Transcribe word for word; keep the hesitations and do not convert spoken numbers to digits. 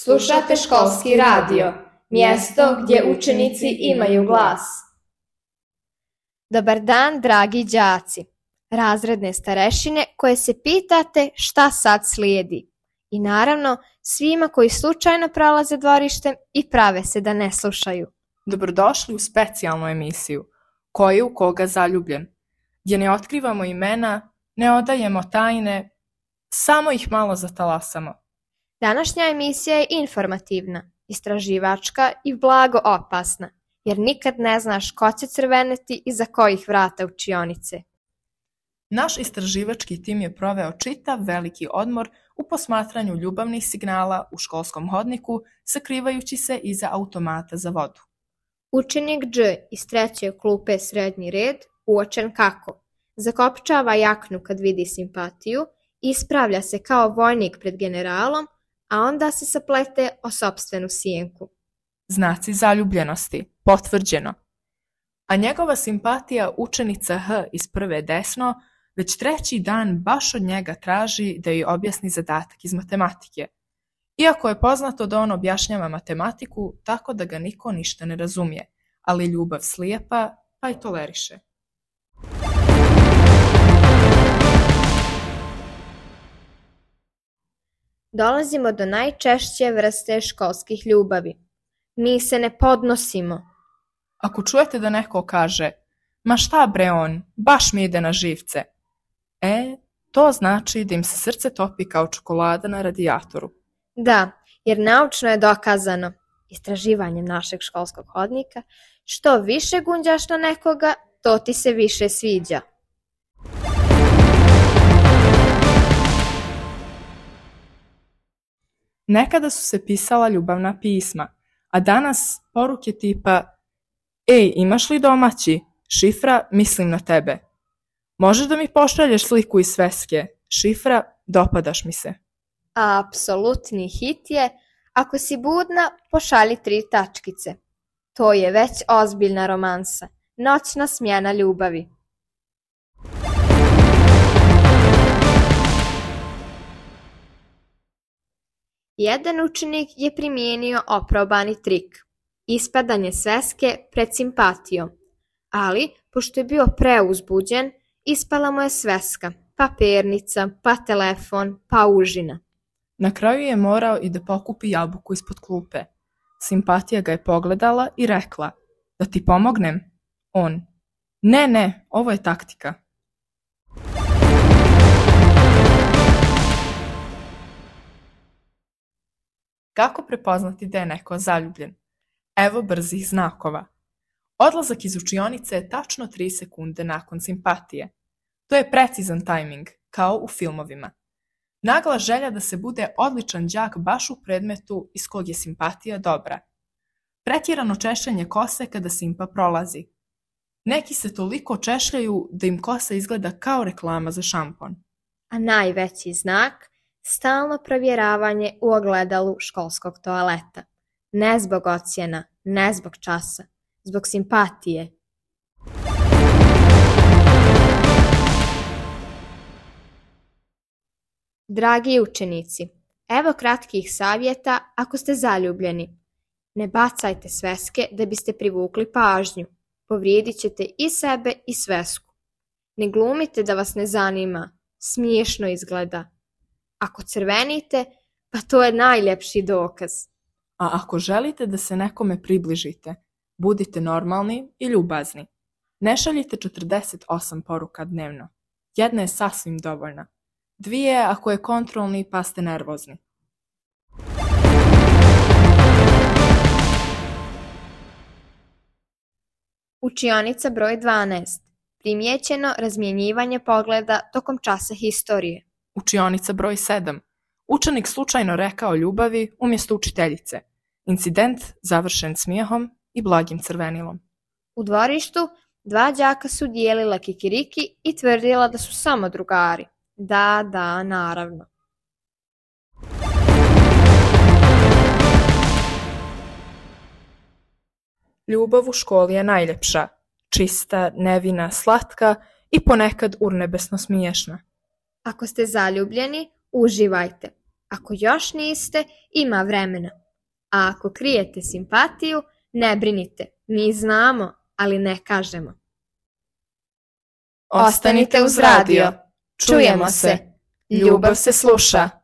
Slušate školski radio, mjesto gdje učenici imaju glas. Dobar dan, dragi đaci, razredne starešine koje se pitate šta sad slijedi. I naravno, svima koji slučajno prolaze dvorištem i prave se da ne slušaju. Dobrodošli u specijalnu emisiju Ko je u koga zaljubljen, gdje ne otkrivamo imena, ne odajemo tajne, samo ih malo zatalasamo. Današnja emisija je informativna, istraživačka i blago opasna, jer nikad ne znaš ko će crveneti iza kojih vrata učionice. Naš istraživački tim je proveo čitav veliki odmor u posmatranju ljubavnih signala u školskom hodniku, sakrivajući se iza automata za vodu. Učenik Dž iz treće klupe srednji red, uočen kako zakopčava jaknu kad vidi simpatiju, ispravlja se kao vojnik pred generalom, a onda se saplete o sopstvenu sjenku. Znaci zaljubljenosti, potvrđeno. A njegova simpatija učenica H iz prve desno već treći dan baš od njega traži da joj objasni zadatak iz matematike. Iako je poznato da on objašnjava matematiku tako da ga niko ništa ne razumije, ali ljubav slijepa pa i toleriše. Dolazimo do najčešće vrste školskih ljubavi. Mi se ne podnosimo. Ako čujete da neko kaže, ma šta bre on, baš mi ide na živce, e, to znači da im se srce topi kao čokolada na radijatoru. Da, jer naučno je dokazano, istraživanjem našeg školskog hodnika, što više gunđaš na nekoga, to ti se više sviđa. Nekada su se pisala ljubavna pisma, a danas poruke tipa ej, imaš li domaći? Šifra, mislim na tebe. Možeš da mi pošalješ sliku iz sveske? Šifra, dopadaš mi se. A apsolutni hit je, ako si budna, pošalji tri tačkice. To je već ozbiljna romansa, noćna smjena ljubavi. Jedan učenik je primijenio oprobani trik, ispadanje sveske pred simpatijom, ali pošto je bio preuzbuđen, ispala mu je sveska, pa pernica, pa telefon, pa užina. Na kraju je morao i da pokupi jabuku ispod klupe. Simpatija ga je pogledala i rekla, da ti pomognem? On, ne, ne, ovo je taktika. Kako prepoznati da je neko zaljubljen? Evo brzih znakova. Odlazak iz učionice je tačno tri sekunde nakon simpatije. To je precizan tajming, kao u filmovima. Nagla želja da se bude odličan đak baš u predmetu iz kog je simpatija dobra. Pretjerano češljanje kose kada simpa prolazi. Neki se toliko češljaju da im kosa izgleda kao reklama za šampon. A najveći znak? Stalno provjeravanje u ogledalu školskog toaleta. Ne zbog ocjena, ne zbog časa, zbog simpatije. Dragi učenici, evo kratkih savjeta ako ste zaljubljeni. Ne bacajte sveske da biste privukli pažnju. Povrijedit ćete i sebe i svesku. Ne glumite da vas ne zanima, smiješno izgleda. Ako crvenite, pa to je najljepši dokaz. A ako želite da se nekome približite, budite normalni i ljubazni. Ne šaljite četrdeset osam poruka dnevno. Jedna je sasvim dovoljna. Dvije ako je kontrolni pa ste nervozni. Učionica broj dvanaest. Primijećeno razmjenjivanje pogleda tokom časa historije. Učionica broj sedam. Učenik slučajno rekao ljubavi umjesto učiteljice. Incident završen smijehom i blagim crvenilom. U dvorištu dva đaka su dijelila kikiriki i tvrdila da su samo drugari. Da, da, naravno. Ljubav u školi je najljepša, čista, nevina, slatka i ponekad urnebesno smiješna. Ako ste zaljubljeni, uživajte. Ako još niste, ima vremena. A ako krijete simpatiju, ne brinite, mi znamo, ali ne kažemo. Ostanite uz radio. Čujemo se. Ljubav se sluša.